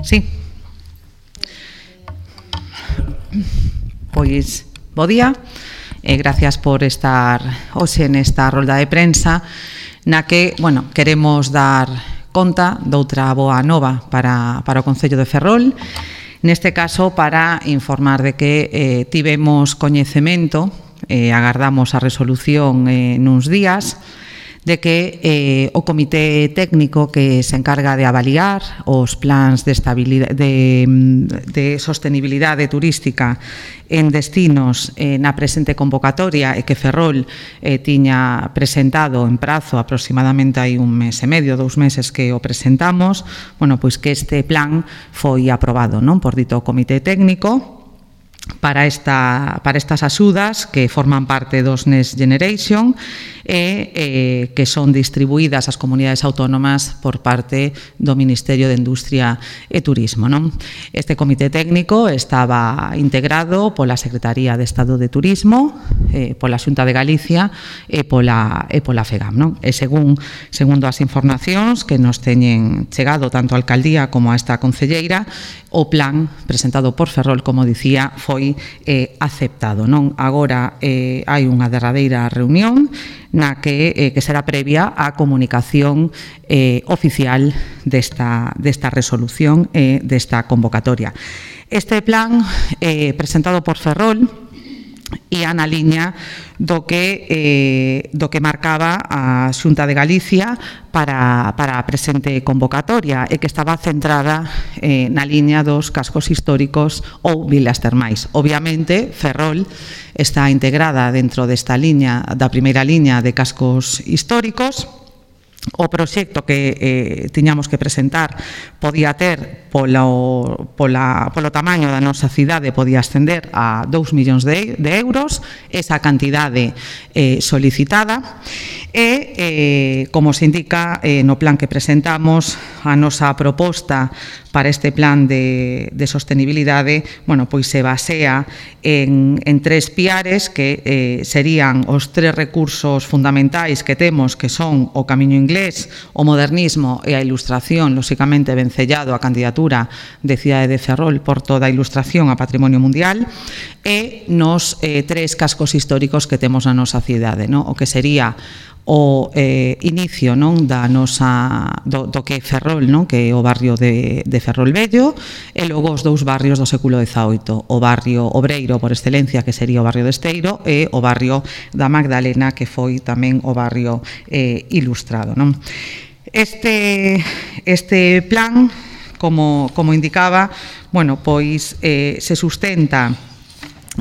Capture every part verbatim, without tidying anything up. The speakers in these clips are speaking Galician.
Sí. Pois, bo día, e gracias por estar hoxe nesta rolda de prensa na que, bueno, queremos dar conta doutra boa nova para, para o Concello de Ferrol, neste caso para informar de que eh, tivemos coñecemento, eh, agardamos a resolución eh, nuns días, de que eh, o Comité Técnico que se encarga de avaliar os plans de, estabilidade, de, de sostenibilidade turística en destinos eh, na presente convocatoria e que Ferrol eh, tiña presentado en prazo aproximadamente hai un mes e medio, dous meses que o presentamos, bueno, pois que este plan foi aprobado, non, por dito Comité Técnico para, esta, para estas axudas que forman parte dos Next Generation e eh, que son distribuídas ás comunidades autónomas por parte do Ministerio de Industria e Turismo, non? Este comité técnico estaba integrado pola Secretaría de Estado de Turismo, eh, pola Xunta de Galicia e pola, e pola FEGAM, non? E según, segundo as informacións que nos teñen chegado tanto a Alcaldía como a esta concelleira, o plan presentado por Ferrol, como dicía, foi eh, aceptado, non? Agora eh, hai unha derradeira reunión na que, eh, que será previa á comunicación eh, oficial desta, desta resolución e eh, desta convocatoria. Este plan eh, presentado por Ferrol ia na liña do que, eh, do que marcaba a Xunta de Galicia para, para a presente convocatoria e que estaba centrada eh, na liña dos cascos históricos ou vilas termais. Obviamente, Ferrol está integrada dentro desta liña, da primeira liña de cascos históricos. O proxecto que eh, tiñamos que presentar podía ter polo, pola, polo tamaño da nosa cidade, podía ascender a dous millóns de, de euros, esa cantidade eh, solicitada e, eh, como se indica eh, no plan que presentamos, a nosa proposta para este plan de, de sostenibilidade, bueno, pois se basea en, en tres piares que eh, serían os tres recursos fundamentais que temos, que son o camiño inglés, o modernismo e a ilustración, lóxicamente vencellado a candidatura de Cidade de Ferrol por toda a ilustración a Patrimonio Mundial, e nos eh, tres cascos históricos que temos na nosa cidade, no? O que sería o eh, inicio, non, da nosa, do, do que é Ferrol, non? Que é o barrio de, de Ferrol Vello, e logo os dous barrios do século dezaoito, o barrio obreiro por excelencia, que sería o barrio de Esteiro, e o barrio da Magdalena, que foi tamén o barrio eh, ilustrado, non? Este, este plan, como, como indicaba, bueno, pois eh, se sustenta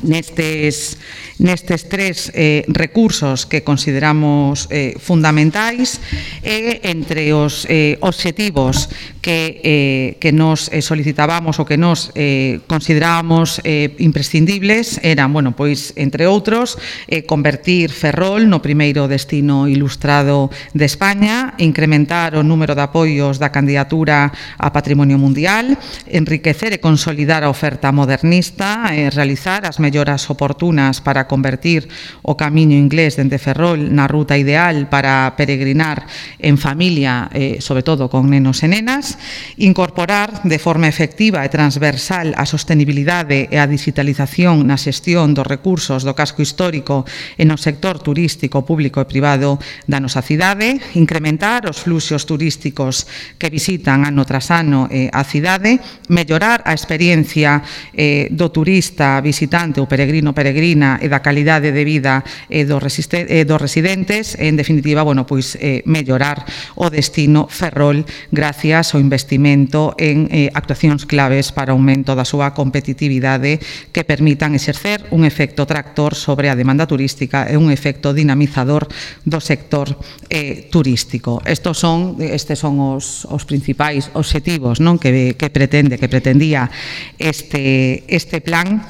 nestes, nestes tres eh, recursos que consideramos eh, fundamentais e entre os eh, obxectivos que, eh, que nos eh, solicitábamos ou que nos eh, considerábamos eh, imprescindibles eran, bueno, pois, entre outros, eh, convertir Ferrol no primeiro destino ilustrado de España, incrementar o número de apoios da candidatura a Patrimonio Mundial, enriquecer e consolidar a oferta modernista, eh, realizar as melloras oportunas para convertir o camiño inglés dende Ferrol na ruta ideal para peregrinar en familia, eh, sobre todo con nenos e nenas, incorporar de forma efectiva e transversal a sostenibilidade e a digitalización na xestión dos recursos do casco histórico e no sector turístico público e privado da nosa cidade, incrementar os fluxos turísticos que visitan ano tras ano eh, a cidade, mellorar a experiencia eh, do turista visitante o peregrino peregrina e da calidade de vida eh, dos, eh, dos residentes, en definitiva, bueno, pois eh, mellorar o destino Ferrol gracias ao investimento en eh, actuacións claves para o aumento da súa competitividade que permitan exercer un efecto tractor sobre a demanda turística e un efecto dinamizador do sector eh, turístico. Estos son, estes son os, os principais obxectivos, non, que, que pretende, que pretendía este, este plan.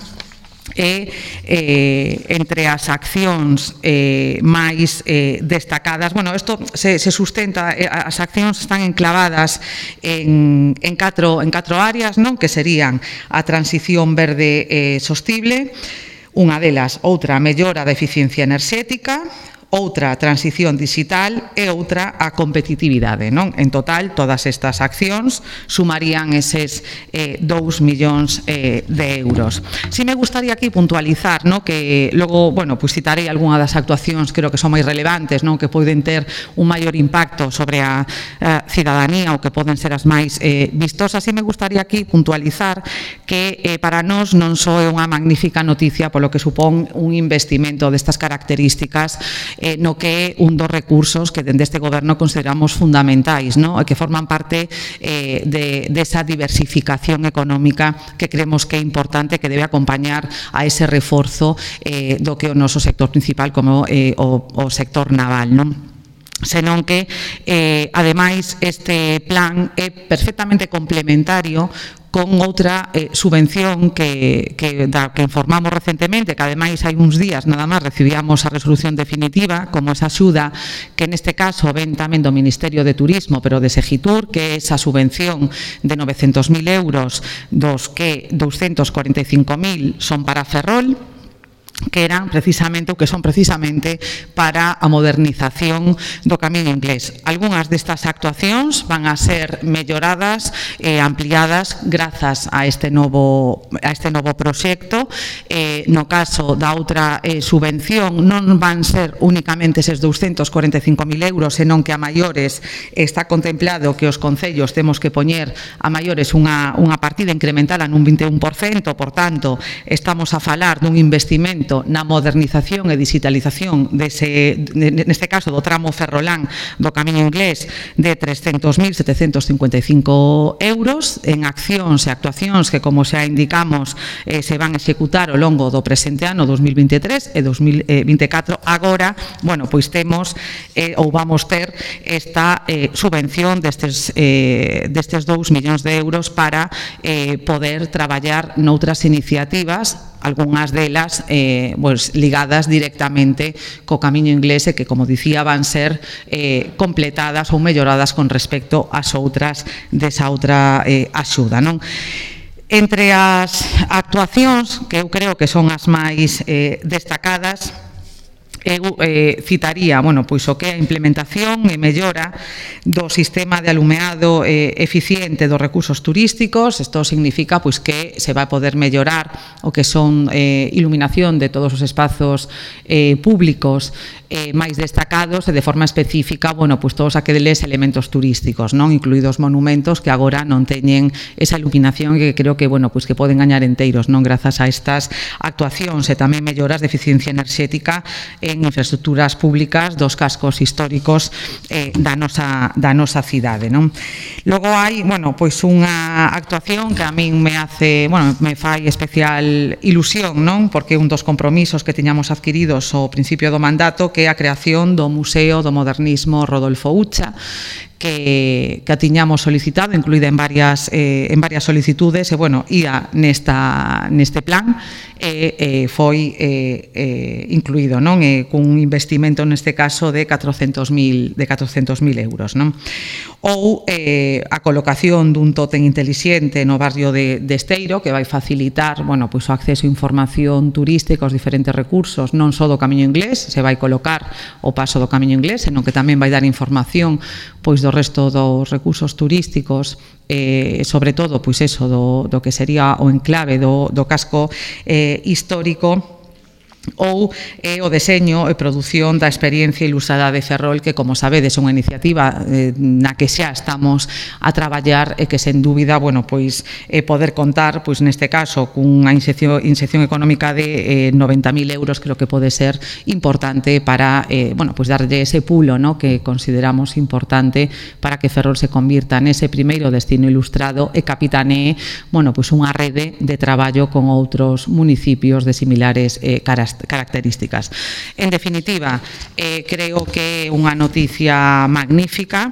E eh, entre as accións eh, máis eh, destacadas, bueno, isto se, se sustenta, eh, as accións están enclavadas en, en, catro, en catro áreas, non? Que serían a transición verde eh, sostible, unha delas, outra, a mellora da eficiencia enerxética, outra a transición digital e outra a competitividade, non? En total, todas estas accións sumarían eses eh, dous millóns eh, de euros. Si me gustaría aquí puntualizar, non? Que logo, bueno, pues citarei algunha das actuacións creo que son máis relevantes, non? Que poden ter un maior impacto sobre a, a cidadanía ou que poden ser as máis eh, vistosas. Si me gustaría aquí puntualizar que eh, para nós non só é unha magnífica noticia polo que supón un investimento destas características eh, no que é un dos recursos que dende este goberno consideramos fundamentais, no? E que forman parte eh, de, de esa diversificación económica que creemos que é importante, que debe acompañar a ese reforzo eh, do que é o noso sector principal como eh, o, o sector naval, non? Senón que, eh, ademais, este plan é perfectamente complementario con outra eh, subvención que, que, da, que informamos recentemente, que ademais hai uns días nada máis recibíamos a resolución definitiva, como esa axuda que neste caso ven tamén do Ministerio de Turismo, pero de Segitur, que é esa subvención de novecentos mil euros, dos que doscientos cuarenta e cinco mil son para Ferrol, que eran precisamente, ou que son precisamente para a modernización do Camiño Inglés. Algúnas destas actuacións van a ser melloradas e eh, ampliadas grazas a este novo a este novo proxecto. Eh, no caso da outra eh, subvención non van ser únicamente eses doscientos cuarenta e cinco mil euros, senón que a maiores está contemplado que os concellos temos que poñer a maiores unha, unha partida incremental nun vinte e un por cento, por tanto, estamos a falar dun investimento na modernización e digitalización dese, neste caso do tramo ferrolán do Camiño Inglés de trescentos mil setecentos cincuenta e cinco euros en accións e actuacións que, como xa indicamos, eh, se van a executar ao longo do presente ano dos mil vinte e tres e dos mil vinte e catro. Agora, bueno, pois temos eh, ou vamos ter esta eh, subvención destes, eh, destes dous millóns de euros para eh, poder traballar noutras iniciativas, algunhas delas eh, pues, ligadas directamente co Camiño Inglés e que, como dicía, van ser eh, completadas ou melloradas con respecto ás outras desa outra eh, axuda, non? Entre as actuacións que eu creo que son as máis eh, destacadas, eu eh, citaría, bueno, pois o que é a implementación e mellora do sistema de alumeado eh, eficiente dos recursos turísticos. Isto significa pois que se vai poder mellorar o que son eh, iluminación de todos os espazos eh, públicos eh, máis destacados e de forma específica, bueno, pois todos aqueles elementos turísticos, non, incluídos monumentos que agora non teñen esa iluminación que creo que, bueno, pois que poden gañar enteiros, non, grazas a estas actuacións e tamén melloras de eficiencia enerxética eh, en infraestructuras públicas dos cascos históricos eh, da, nosa, da nosa cidade, non? Logo hai, bueno, pois unha actuación que a min me hace, bueno, me fai especial ilusión, non? Porque un dos compromisos que tiñamos adquiridos ao principio do mandato, que é a creación do Museo do Modernismo Rodolfo Ucha, que, que a tiñamos solicitado, incluída en varias, eh, en varias solicitudes, e, bueno, ia nesta, neste plan, e eh, foi eh, eh, incluído, non? Eh, cun investimento neste caso de catrocentos mil euros, non? Ou eh, a colocación dun tótem intelixente no barrio de, de Esteiro, que vai facilitar, bueno, pois o acceso a información turística aos diferentes recursos, non só do Camiño Inglés, se vai colocar o paso do Camiño Inglés, senón que tamén vai dar información pois do resto dos recursos turísticos, eh, sobre todo, pois eso, do, do que sería o enclave do, do casco eh, histórico, ou eh, o deseño e produción da experiencia ilustrada de Ferrol, que, como sabedes, é unha iniciativa eh, na que xa estamos a traballar e que, sen dúbida, bueno, pois eh, poder contar, pois neste caso, cunha inxección, inxección económica de eh, noventa mil euros, creo que pode ser importante para, eh, bueno, pois darlle ese pulo, no, que consideramos importante para que Ferrol se convirta nese primeiro destino ilustrado e capitanee, bueno, pois unha rede de traballo con outros municipios de similares eh, caras características. En definitiva, eh, creo que é unha noticia magnífica.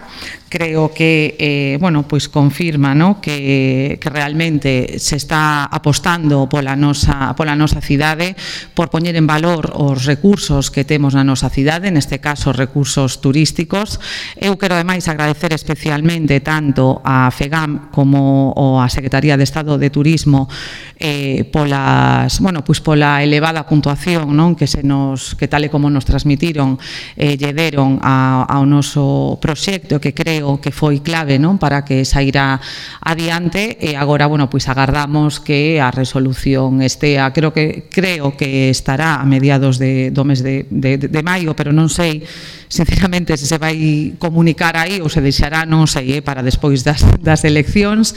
Creo que, eh, bueno, pois confirma, no, que, que realmente se está apostando pola nosa, pola nosa cidade, por poñer en valor os recursos que temos na nosa cidade, neste caso recursos turísticos. Eu quero, ademais, agradecer especialmente tanto a FEGAM como a Secretaría de Estado de Turismo eh, polas, bueno, pois pola elevada puntuación información, non, que se nos que tal e como nos transmitiron eh, lle deron a, ao noso proxecto, que creo que foi clave, non, para que saíra adiante, e agora, bueno, pois agardamos que a resolución estea, creo que creo que estará a mediados de, do mes de, de, de maio, pero non sei sinceramente se se vai comunicar aí ou se deixará, non sei, eh, para despois das, das eleccións,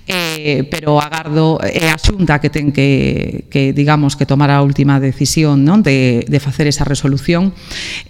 eh, pero agardo, é a Xunta que ten que, que digamos, que tomar a última decisión, non, de, de facer esa resolución,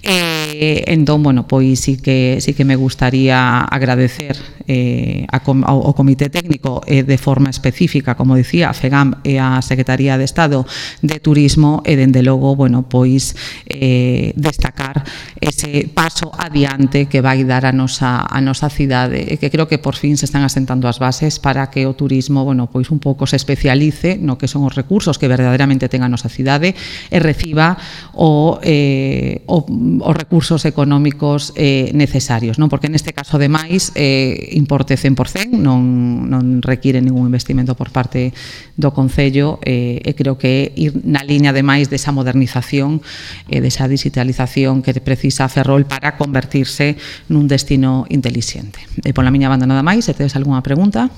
eh, entón, bueno, pois sí que, sí que me gustaría agradecer eh, a, ao, ao Comité Técnico eh, de forma específica, como dicía, a FEGAM e a Secretaría de Estado de Turismo, e dende logo, bueno, pois eh, destacar ese paso adiante que vai dar a nosa, a nosa cidade, e que creo que por fin se están asentando as bases para que o turismo, bueno, pois un pouco se especialice no que son os recursos que verdadeiramente ten a nosa cidade e reciba o, eh, o, os recursos económicos eh, necesarios, non? Porque neste caso, ademais, eh, importe cen por cen, non, non require ningún investimento por parte do Concello, eh, e creo que ir na liña, ademais, desa modernización e eh, desa digitalización que precisa Ferrol para convertirse nun destino intelixente. E pola miña banda nada máis, se tedes algunha pregunta.